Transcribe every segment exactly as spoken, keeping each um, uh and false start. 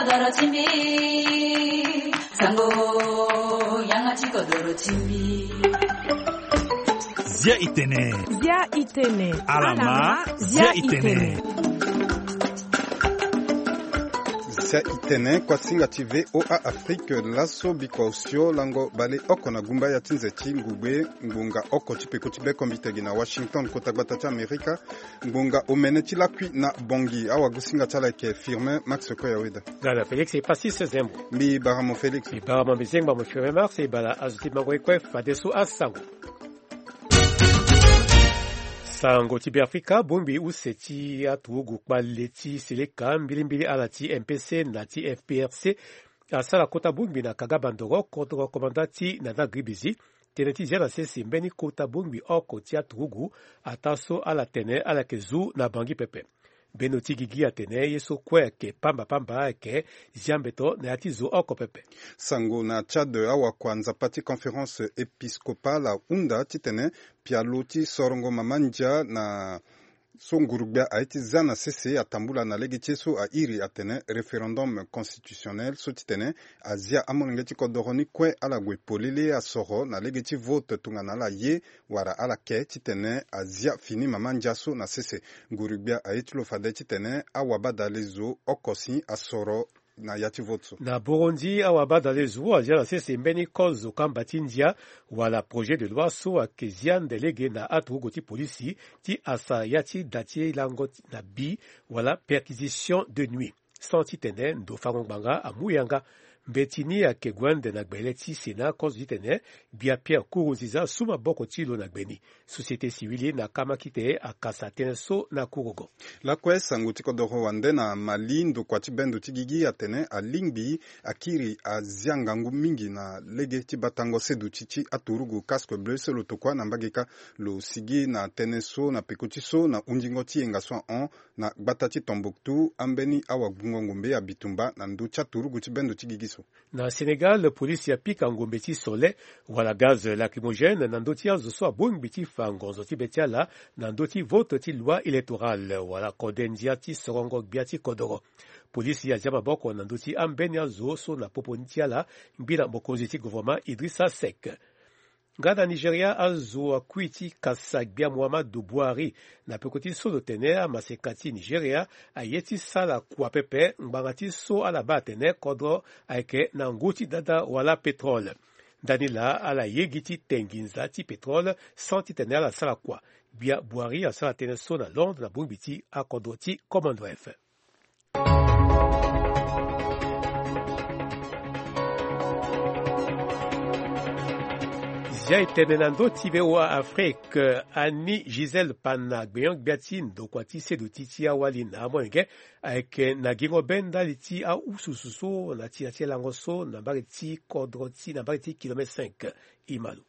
Doro ti mbi, sango, yanga ti kodoro ti mbi. Zia itene. Zia itene. Alama, zia itene. Zia itene, kuasinga ti V O A Afrique, laso bikua osio lango bale oko na gumba ya ti nze ti ngugbe, ngbonga oko ti peko ti bekombitegi na Washington, kota gbata ti Amerika. Ngbonga omene ti lakui na Bangui, awagosinga ti ala ayeke Firmin Max Koyaweda. Ngana Félix e pasi se zembo. Mbi bara mo Félix. Mbi bara mo mbi zengba mo Firmin Max e bara azo ti mango ye kue fadeso asango. Sango ti Beafrika, bongbi use ti aturugu kpale ti seleka mbilimbili ala ti M P C na ti F P R C asara kota bongbi na Kaga Bandoro, kodro komanda ti Nana Gribizi. Tënë ti zia na sese mbeni kota bongbi oko ti aturugu, ataa so ala tene ala yeke zu na Bangui pepe. Mbeni ndo ti gigi atene ye so kue ayeke pamba pamba ayeke zia mbeto na ya ti zo oko pepe. Sango na Tchad, awakua nzapa ti conférence épiscopale ahunda titene pialo ti sorongo mama ndia na so nguru-gbia aye ti za na sese atambula na lege ti ye so airi atene référendum constitutionnel, so titene azia amolenge ti kodoro ni kue ala gue polele asoro na lege ti vote tongana ala ye wala ala ke titene azia fini mama ndia so na sese. Nguru-gbia aye ti lo fade titene awabadale zo oko si asoro na ya ti vote so. Na Burundi, awabadale zo azia na sese mbeni kozo kamba ti ndia wala projet de loi so ayeke zia nde lege na aturugu ti polisi ti asa ya ti da ti lango ti na bi wala perquisition de nuit. Sans titene ndo fango ngbanga amu yanga. Mbeti ni ayeke gue ande na gbele ti Sénat, kozo titene gbia Pierre Nkurunziza asu maboko ti lo na gbe ni. Société civile na kamakite akasa tënë so na kurugo. Lakue sango ti kodoro wande na Mali, ndokua ti bendo ti gigi atene alingbi akiri azia ngangu mingi na lege ti batango seduti ti aturugu Casque Bleu so lo tokua na mbage kâ. Lo sigi na tënë so na peko ti so na hundingo ti yenga so ahon na gbata ti Tombouctou, ambeni awagbungo ngombe ya bitumba na ndö ti aturugu ti bendo ti gigi so. Na Sénégal, polisi apika ngombe ti sole wala gaz lacrymogène na ndö ti azo so abongbi ti fa ngonzo ti be ti ala na ndö ti vote ti loi électorale wala kode ndia ti sorongo gbia ti kodoro. Polisi azia maboko na ndö ti ambeni azo so na popo ni ti ala ngbi na mokonzi ti gouvernement Idrissa Seck. Nga na Nigeria, azo akui ti kasa gbia Muhammadu Buhari na peko ti so lo tene amaseka ti Nigeria aye ti sara kua pepe ngbanga ti so ala baa atene kodro ayeke na ngu ti dada wala pétrole. Ndani laa ala ye gi ti te nginza ti pétrole sans titene ala sara kua. Gbia Buhari asara tënë so na Londres na bongbi ti akodro ti Commonwealth. Zia e tene na ndö ti V O A Afrique, Annie Gisèle Pana, gbenyo-gbia ti ndokua ti seduti ti awali na amolenge, ayeke na gingo be ndali ti aususu so na ti, na ti lango so na mbage ti kodro ti, na mbage ti kilomètre cinq. E ma lo.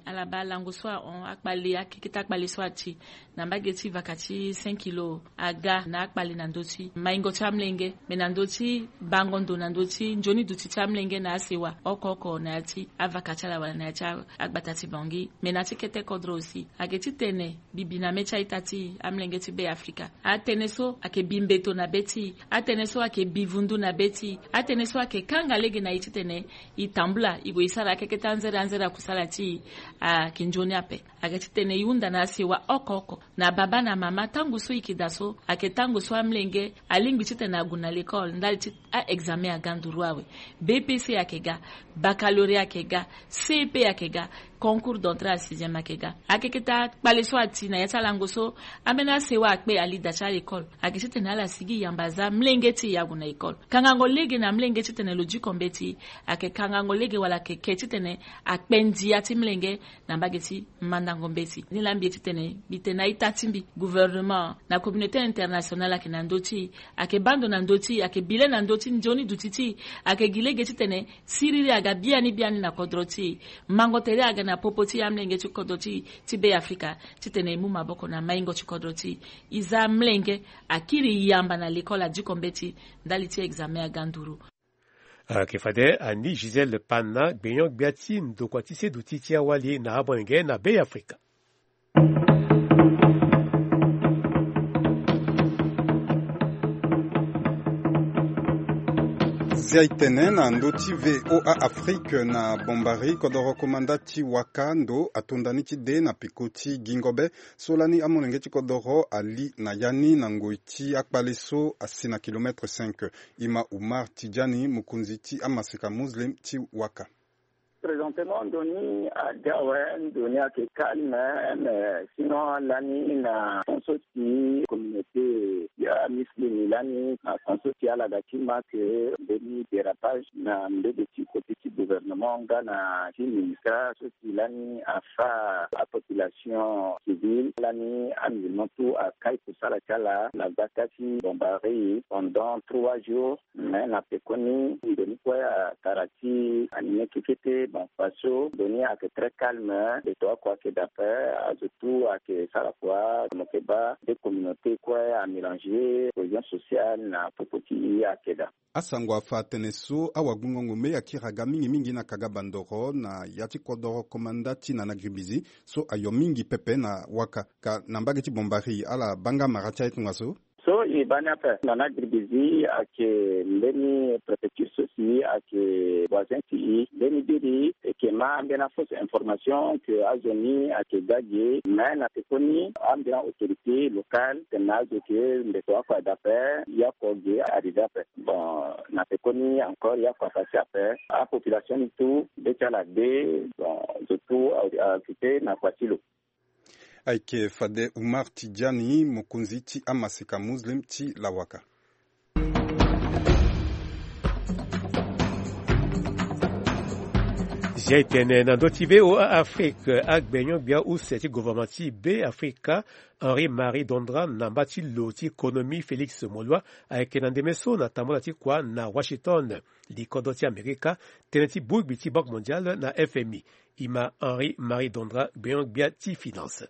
Ala baa lango so ahon, akpale, akeke ti akpale so ati na mbage ti vaka ti cinq kilo aga na akpale na ndö ti maingo ti amolenge, me na ndö ti bango ndo na ndö ti nzoni duti ti amolenge na asewa oko oko na ya ti avaka ti ala wala na ya ti a-, agbata ti Bangui. Me na ya ti kete kodro aussi, ayeke titene bibi na mê ti a-ita ti amolenge ti Be Afrika. Atënë so ayeke bi mbeto na be ti e, atënë so ayeke bi vundu na be ti e, atënë so ayeke kanga lege na e titene e tambula, e gue e sara akeke ti anzere anzere akusala ti e, ayeke nzoni ape. Ayeke titene e hunda na asewa oko oko, na babâ na mama, tango so e yeke daa so, ayeke tango so amolenge alingbi titene ague na lekole ndali ti a-examen aga nduru awe. B P C ayeke ga, baccalauréat ayeke ga, C E P ayeke ga, concours d'entrée à sixième ayeke ga. Akeke ti akpale so ati na ya ti alango so, ambeni asewa akpe ali da ti alekole. Ayeke titene ala sigi yamba aza amolenge ti e ague na lekole. Kangango lege na amolenge titene lo diko mbeti, ayeke kangango lege wala ayeke ke titene akpe ndia ti molenge na mbage ti mandango mbeti. Ni laa mbi ye titene mbi tene na a-ita ti mbi, gouvernement na communauté internationale ayeke na ndö ti e, ayeke baa ndo na ndö ti e, ayeke bi le na ndö ti nzoni duti ti e, ayeke gi lege titene siriri aga biani biani na kodro ti e, mango tere aga na popo ti e, amolenge ti kodro ti e ti Be Afrika, titene e mu maboko na maingo ti kodro ti e. E za amolenge, akiri yamba na lekole, adiko mbeti ndali ti examen aga nduru. Ayeke fade Annie Gisèle Pana, gbenyo-gbia ti ndokua ti seduti ti awali na amolenge na Be Afrika. Zia itene na ndö ti VOA Afrique na Bombari, kodoro komanda ti waka ndo atonda ni ti de na peko ti gingo be so lani amolenge ti kodoro ali na ya ni na ngoi ti akpale so asi na kilomètre cinq. Ima Umar Tidjani, mokonzi ti amaseka muslim ti waka. Présentement ndo ni aga awe, ndo ni ayeke calme, mais sinon lani na fond so si communauté ya muslim lani na fond so si ala ga ti ma ke mbeni dérapage na mbege ti côté ti gouvernement nga na ti ministère so si lani afa apopulation civile, lani amusulman tout akai kusala ti ala na gbata ti Bombari pendant trois jours. Mais na pekoni ndo ni kue atara ti anime kekete. Bon, faso ndo ni ayeke très calme, beto oko ayeke dape, azo tout ayeke sara kua, mo yeke baa deux communautés kue amélanger, cohésion sociale na popo ti e ayeke daa. Asango afa atene so awagbingo ngombe akiri aga mingi mingi na kaga bandoro na ya ti kodoro komanda ti na na gribizi so ayo mingi pepe na waka ka na mbage ti Bombari, ala baa nga mara ti aye tongaso. So e baa ni ape na na gribizi ayeke mbeni préfecture so si ayeke voisin ti e, mbeni biri e yeke ma ambeni afausse information ke azo ni ayeke ga ge. Mais na pekoni ambeni autorité locale tene na azo ke ndeko oko ada ape, ya oko ge arrivé ape. Bon, na pekoni encore ya oko apasser ape. Apopulation ni tout be ti ala de. Bon, zo tout aoccupé na kua ti lo. Ayeke fade Umar Tidjani, mokonzi ti amaseka muslim ti lawaka. Zia etene na ndö ti VOA Afrique, agbenyo-gbia use ti gouvernement ti Be Afrika, Henri Marie Dondra, na mba ti lo ti konomi Félix Molua, ayeke na ndeme so na tambula ti kua na Washington, likodro ti Amerika, tënë ti bongbi ti Banque Mondiale na F M I. Ima Henri Marie Dondra, gbenyo-gbia ti finance.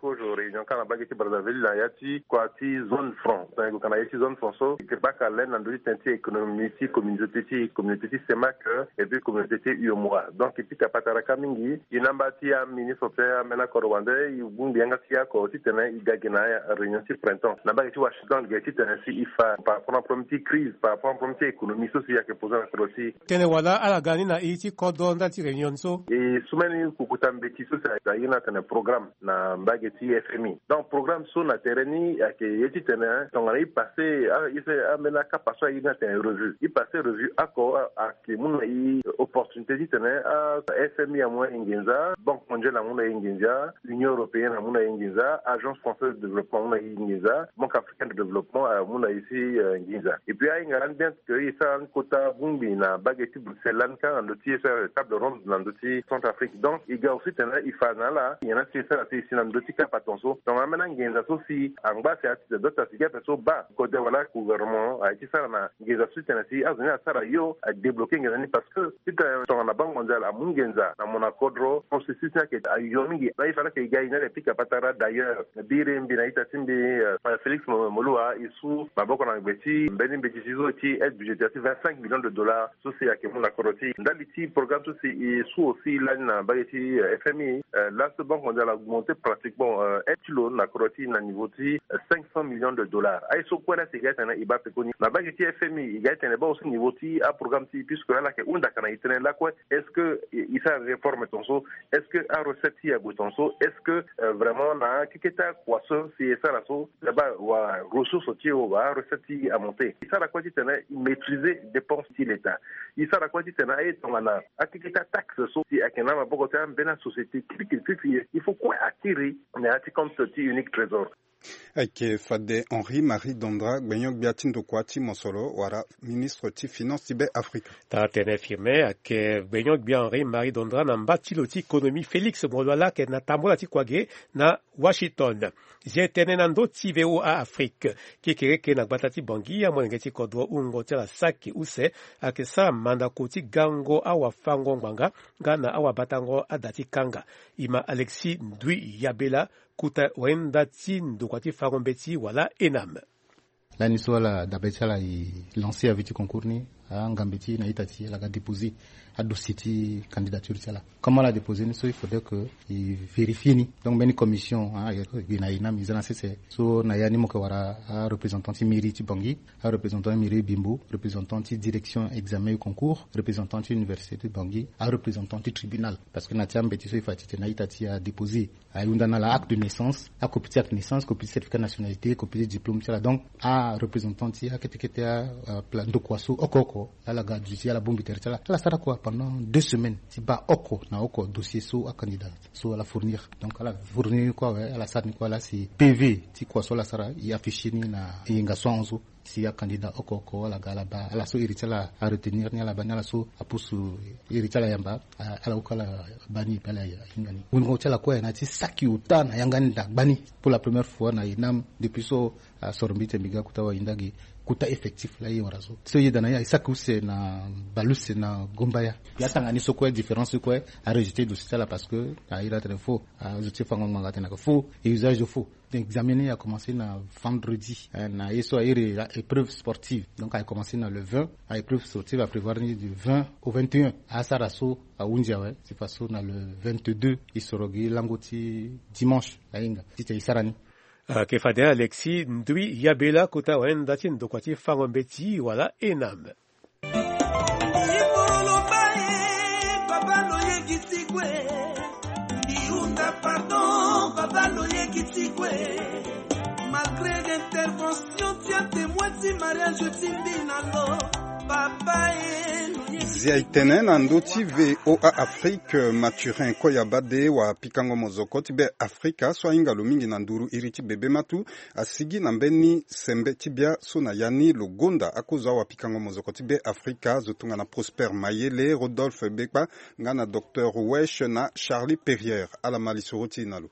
Kozo réunion kâ na mbage ti Brazzaville na ya ti kua ti zone franc. Tongana e gue ka na ya ti zone franc so, e yeke baka laine na ndö ti tënë ti économie ti communauté ti, communauté ti CEMAC, et puis communauté ti UEMOA. Donc e pika patara kâ mingi. E na mba ti aministre ti ambeni akodro wande, e bongbi yanga ti e oko titene e ga gi na réunion ti printemps na mbage ti Washington, gi titene si e fa par rapport na problème ti crise, par rapport na problème ti économie so si ayeke posé na kodro ti e. Tene wala ala ga ni na iri ti kodro ndali ti réunion so. E sumeni kukuta mbeti so si ayeke na tene programme na mbage ti F M I. Donc programme so na tere ni ayeke ye titene tongana e passé, ah, e fait ambeni akapa so aye ni atene revue. E passé revue oko, ah, ayeke mu na e opportunité titene, ah, F M I amu na e nginza, Banque Mondiale amu na e nginza, Union Européenne amu na e nginza, Agence Française de Développement amu na e nginza, Banque Africaine de Développement amu na e si, euh, nginza. Et puis ahinga lani bien que e sara lani kota bongbi na mbage ti Bruxelles lani kâ na ndö ti e sara table ronde na ndö ti Centrafrique. Donc e ga aussi tene e fa na ala nyen na si e sara si e si na ndö ti kapa tongaso. Donc ambeni anginza so si angba si ati doit asi gi ape so baa kode wala gouvernement aye ti sara na nginza so titene si azo ni asara yo adébloqué nginza ni parce que titene tongana Banque Mondiale amu nginza na mo na kodro, processus ni ayeke ayo mingi. Donc e fa laa ke e ga e ni ala pika patara. D'ailleurs biri mbi na ita ti mbi, euh, Félix Mo-, Moloua, e su maboko na gbe ti mbeni mbeti ti zo ti aide budgétaire ti vingt-cinq millions de dollars so si ayeke mu na kodro ti e. Ndali ti programme so si e su aussi lani na mbage ti, euh, F M I, euh, laso Banque Mondiale a augmenté pratiquement, euh, aide ti lo na kodro ti e na niveau ti, euh, cinq cents millions de dollars. Aye so kue laa si e ga titene e baa pekoni na mbage ti F M I, e ga titene e baa aussi niveau ti aprogramme ti e, puisque ala yeke hunda ka na e tënë lakue, est-ce que e, e sara réforme tongaso? Est-ce que arecette ti e ague tongaso? Est-ce que, euh, vraiment na akeke ti akua so si e sara so, e baa wa ressource ti e, wa arecette ti e amonté? E sara kue titene e maîtriser dépense ti l'État. E sara kue titene aye tongana akeke ti ataxe so si ayeke na maboko ti ambeni asociété kirikiri kirikiri, il faut kue akiri na ya ti compte ti unique trésor. Ayeke fade Henri Marie Dondra, gbenyo-gbia ti ndokua ti mosoro wala ministre ti finance ti Be Afrika. Tara tene Firmin ayeke gbenyo-gbia Henri Marie Dondra na mba ti lo ti économie Félix Moloua laa ayeke na tambula ti kua ge na Washington. Zia e tene na ndö ti VOA Afrique. Kekereke na gbata ti Bangui, amolenge ti kodro wungo ti ala saki use ayeke sara mandako ti gango awafango ngbanga nga na awabatango ada ti kanga. Ima Alexis Ndui Yabela, kota wayenda ti ndokua ti fango mbeti wala ENAM. Ani so ala dabe ti ala e lancer avis ti concours ni, angambe ti na ita ti ala ga déposer adossier ti candidature ti ala. Comme ala déposer ni so, il faudrait que e vérifier ni. Donc mbeni commission, ah, e gi na inam e za na sese so na ya ni mo yeke wara areprésentant ti mairie ti Bangui, areprésentant ti mairie Bimbo, représentant ti direction examen et concours, représentant ti université ti Bangui, areprésentant ti tribunal. Parce que na ti ambeti so e fa ti tene na ita ti adéposer, ahunda na ala acte de naissance, acopie ti acte de naissance, copie ti certificat de nationalité, copie ti diplôme ti ala. Donc areprésentant ti akete kete, a, a, pla ndokua so oko oko, ala ga duti ala bongbi tere ti ala. Ala sara kua pendant deux semaines ti baa oko na oko dossier so acandidat so ala fournir. Donc ala fournir ni kue awe, ala sara ni kue, ala si P V ti kua so ala sara, e afficher ni na yenga so ahon so. Si acandidat oko oko ala ga ala baa, ala so iri ti ala aretenir ni, ala baa ni, ala so apusu iri ti ala yamba, a, ala oku ala baa ni, e pe ala hinga ni. Wungo ti ala kue na ya ti saki ota na yanga ni daa gbani. Pour la première fois na inam depuis so asoro mbi ti tene mbi ga kota wahinda ge, kota effectif laa e wara so. So e yeda na ya, e saki use na bale use na Gombaya. Ya tanga ni so kue, différence so kue, arejeter dossier ti ala parce que a iri atene faux, azo ti fango ngbanga atene ayeke faux, e usage de faux. Examen ni a commencé na vendredi, eh, na ye so a iri épreuve sportive. Donc a commencé na le vingt, a épreuve sportive a prévoir ni du vingt au vingt et un. Asara so ahunzi awe, si faso na le vingt-deux e soro gi lango ti dimanche ahinga titene e sara ni. Ayeke fade Alexis Ndui Yabela, kota wayanda ti ndokua ti fango mbeti wala ENAM. Iboroloba e, papa loyekisi kue. Ndiunda pardon, papa loyekisi kue. Malgré l'intervention ti atémoin ti mariage ti mbi na lo, papa e, loyekisi. Zia e tene na ndö ti V O A Afrique, Mathurin Koyabade, wapikango mozoko ti Be Afrika so ahinga lo mingi na nduru iri ti bebe matu, asigi na mbeni sembe ti bia so na ya ni lo gonda akozo awapikango mozoko ti Be Afrika, zo tongana Prosper Mayele, Rodolphe Bekpa, nga na Docteur Wesh na Charlie Perrier. Ala ma lisoro ti e na lo.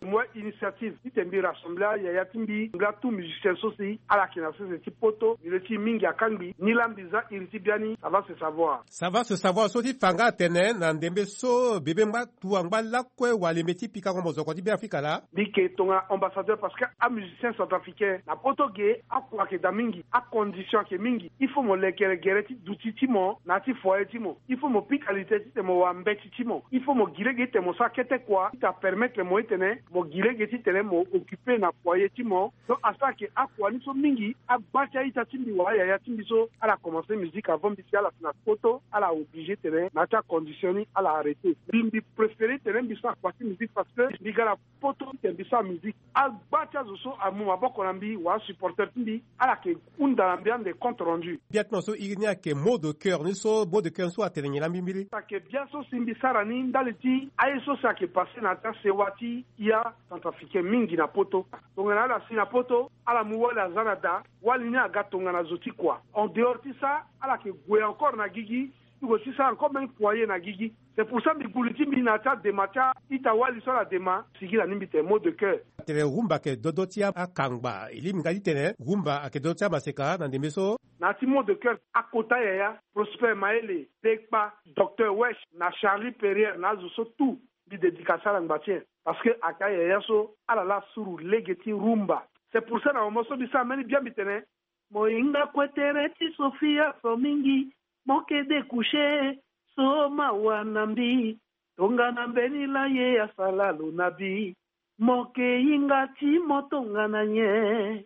Mo initiative titene mbi rassembler ayaya ti mbi, mbi laa tout musicien so si ala yeke na sese ti poto, mbi le ti e mingi akangbi, ni laa mbi za iri ti biani, ça va se savoir. Ça va se savoir so ti fa nga atene na ndembe so bebe ngba tua ngba lakue walembe ti pikango mozoko ti Be Afrika laa. Mbi yeke tongana ambassadeur parce que amusicien centrafricain na poto ge, akua ayeke daa mingi, acondition ayeke mingi. Il faut mo lekere gere ti duti ti mo na ya ti foyer ti mo. Il faut mo pika li tene titene mo wara mbeti ti mo. Il faut mo gi lege titene mo sara kete kua titene apermettre mo titene mo gi lege titene mo occuper na foyer ti mo. Donc asara ke akua ni so mingi, agba ti a-ita ti mbi wala ayaya ti mbi so ala commencer musique avant mbi si ala si na poto, ala obligé titene na ya ti acondition ni ala arrêter. Mbi, mbi préférer titene mbi sara kua ti musique parce que mbi ga na poto titene mbi sara musique. Agba ti azo so amu maboko na mbi wala supporter ti mbi, ala yeke hunda na mbi ande compte rendu. Bia ti mo so iri ni ayeke mot de cœur ni so, mot de cœur ni so atene nyen na mbi mbiri? Ayeke bia so si mbi sara ni ndali ti aye so si ayeke passé na ya ti asewa ti ya centrafricain mingi na poto. Tongana ala si na poto, ala mu wali aza na da, wali ni aga tongana zo ti kua. En dehors ti ça, ala yeke gue encore na gigi, ti gue ti sara encore mbeni foyer na gigi. C'est pour ça mbi gue li ti mbi na ya ti adema ti a-ita wali so ala dema, sigi na ni mbi tene mot de cœur. Atene rumba ayeke dodo ti akangba. E lingbi nga titene rumba ayeke dodo ti amaseka na ndembe so. Na ya ti mot de cœur, akota yaya, Prosper Mayele, Bekpa, Docteur Wesh na Charlie Perrier na azo so tout, mbi dédicace ala ngba ti e. Parce que ayeke ayaya so ala laa suru lege ti rumba. C'est pour ça na moment so mbi sara mbeni bia mbi tene, mo hinga kue tere ti Sofia so mingi, mo yeke découcher, so mawa na mbi. Tongana mbeni la ye asala lo na bi, mo yeke hinga ti mo tongana nyen?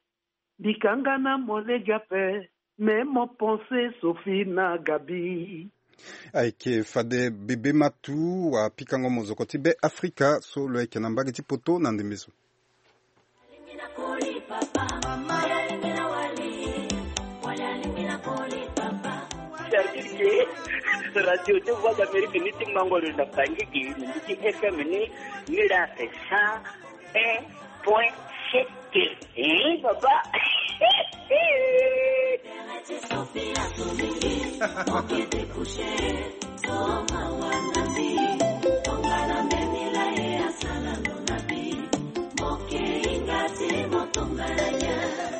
Mbi kanga na mo lege ape, mais mo pense Sophie na Gabi. Ayeke fade bebe matu wapikango mozoko ti Be Afrika so lo yeke na mbage ti poto na ndembe so. C'est-à-dire que radio de Voix d'Amérique ni ti mango lo na Bangui, ni ti F M ni, ni la c'est cent un point sept. Hein, papa?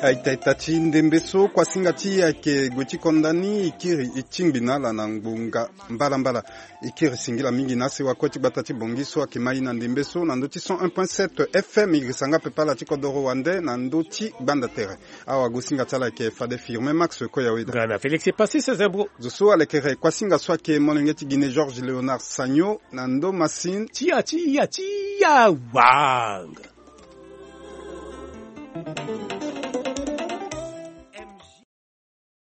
Aita ita ti ndembe so kuasinga ti e ayeke gue ti konda ni, e kiri e tingbi na ala na ngbonga mbalambala. E kiri singila mingi na asewa kue ti gbata ti Bongi so ayeke mai na ndembe so na ndö ti cent un point sept F M. E girisa nga pepe ala ti kodoro wande na ndö ti gbanda tere. Awagosinga ti ala ayeke fade Firmin Max Koyaweda. Nga na Félix Passy César Bro. Zo so alekere kuasinga so ayeke molenge ti Guinée Georges Léonard Sagno na ndö masini. Tia tia tia wanga.